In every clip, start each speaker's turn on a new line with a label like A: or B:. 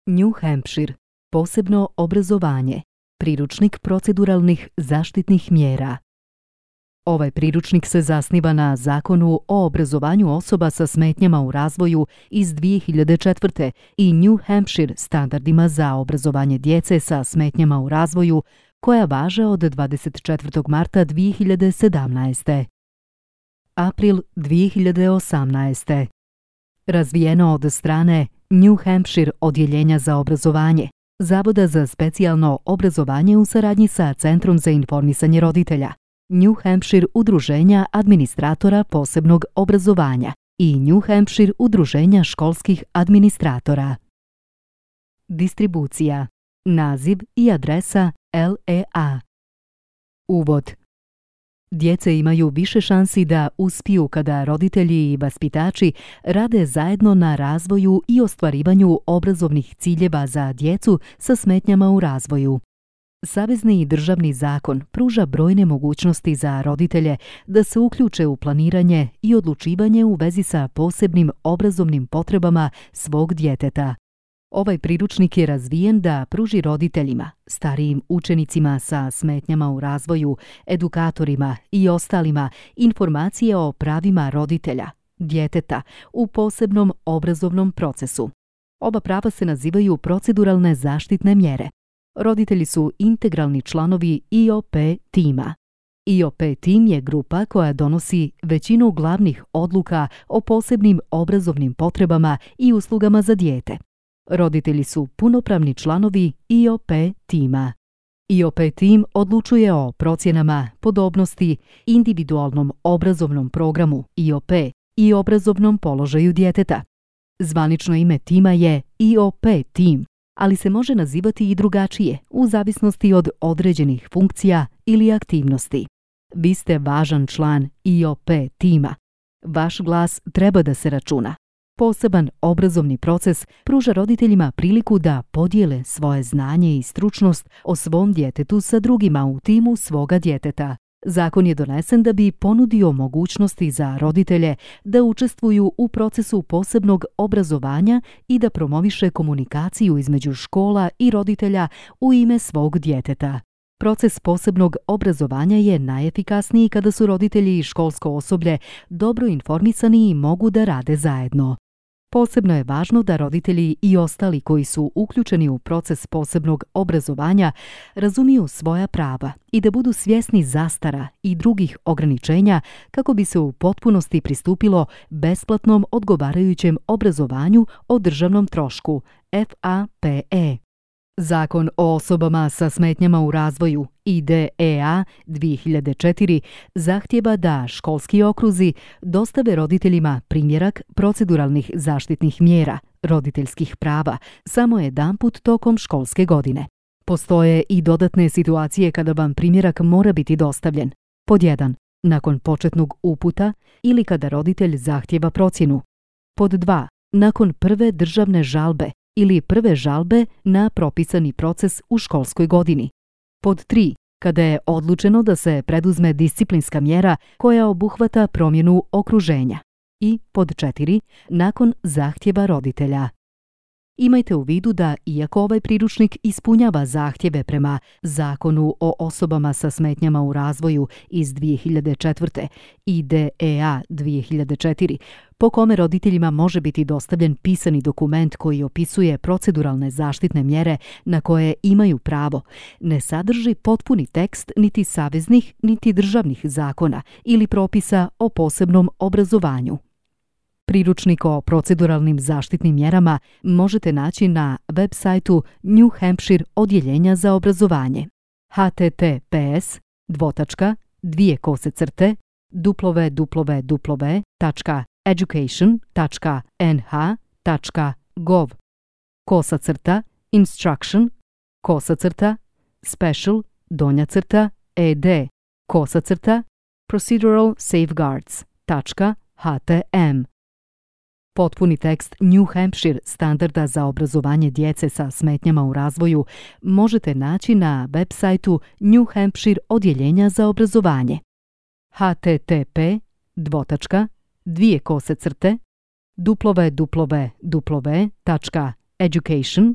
A: New Hampshire, posebno obrazovanje, priručnik proceduralnih zaštitnih mjera. Ovaj priručnik se zasniva na Zakonu o obrazovanju osoba sa smetnjama u razvoju iz 2004. i New Hampshire standardima za obrazovanje djece sa smetnjama u razvoju koja važe od 24. marta 2017. April 2018. Razvijeno od strane New Hampshire odjeljenja za obrazovanje, Zavoda za specijalno obrazovanje u saradnji sa Centrom za informisanje roditelja, New Hampshire udruženja administratora posebnog obrazovanja i New Hampshire udruženja školskih administratora. Distribucija, naziv i adresa LEA. Uvod. Djece imaju više šansi da uspiju kada roditelji i vaspitači rade zajedno na razvoju i ostvarivanju obrazovnih ciljeva za djecu sa smetnjama u razvoju. Savezni i državni zakon pruža brojne mogućnosti za roditelje da se uključe u planiranje i odlučivanje u vezi sa posebnim obrazovnim potrebama svog djeteta. Ovaj priručnik je razvijen da pruži roditeljima, starijim učenicima sa smetnjama u razvoju, edukatorima i ostalima informacije o pravima roditelja, djeteta u posebnom obrazovnom procesu. Oba prava se nazivaju proceduralne zaštitne mjere. Roditelji su integralni članovi IOP tima. IOP tim je grupa koja donosi većinu glavnih odluka o posebnim obrazovnim potrebama i uslugama za dijete. Roditelji su punopravni članovi IOP tima. IOP tim odlučuje o procjenama podobnosti, individualnom obrazovnom programu IOP i obrazovnom položaju djeteta. Zvanično ime tima je IOP tim, ali se može nazivati i drugačije u zavisnosti od određenih funkcija ili aktivnosti. Vi ste važan član IOP tima. Vaš glas treba da se računa. Poseban obrazovni proces pruža roditeljima priliku da podijele svoje znanje i stručnost o svom djetetu sa drugima u timu svoga djeteta. Zakon je donesen da bi ponudio mogućnosti za roditelje da učestvuju u procesu posebnog obrazovanja i da promoviše komunikaciju između škola i roditelja u ime svog djeteta. Proces posebnog obrazovanja je najefikasniji kada su roditelji i školsko osoblje dobro informisani i mogu da rade zajedno. Posebno je važno da roditelji i ostali koji su uključeni u proces posebnog obrazovanja razumiju svoja prava i da budu svjesni zastara i drugih ograničenja kako bi se u potpunosti pristupilo besplatnom odgovarajućem obrazovanju o državnom trošku, FAPE. Zakon o osobama sa smetnjama u razvoju IDEA 2004 zahtijeva da školski okruzi dostave roditeljima primjerak proceduralnih zaštitnih mjera, roditeljskih prava, samo jedanput tokom školske godine. Postoje i dodatne situacije kada vam primjerak mora biti dostavljen. Pod 1. Nakon početnog uputa ili kada roditelj zahtijeva procjenu. Pod 2. Nakon prve državne žalbe ili prve žalbe na propisani proces u školskoj godini. Pod 3. Kada je odlučeno da se preduzme disciplinska mjera koja obuhvata promjenu okruženja. I pod 4. Nakon zahtjeva roditelja. Imajte u vidu da, iako ovaj priručnik ispunjava zahtjeve prema Zakonu o osobama sa smetnjama u razvoju iz 2004. IDEA 2004, po kome roditeljima može biti dostavljen pisani dokument koji opisuje proceduralne zaštitne mjere na koje imaju pravo, ne sadrži potpuni tekst niti saveznih niti državnih zakona ili propisa o posebnom obrazovanju. Priručnik o proceduralnim zaštitnim mjerama možete naći na web sajtu New Hampshire odjeljenja za obrazovanje www.education.nh.gov/procedural-safeguards.htm. Potpuni tekst New Hampshire standarda za obrazovanje djece sa smetnjama u razvoju možete naći na web sajtu New Hampshire odjeljenja za obrazovanje http://www.education.nh.gov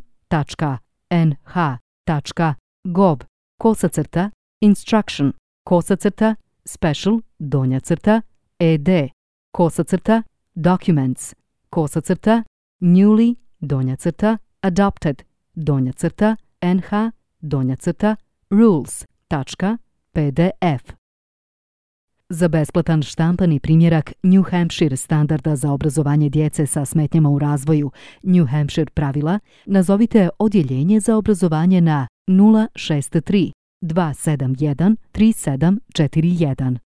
A: nh.nh/rules.pdf. Za besplatan štampani primjerak New Hampshire standarda za obrazovanje djece sa smetnjama u razvoju New Hampshire pravila, nazovite Odjeljenje za obrazovanje na 063 271 3741.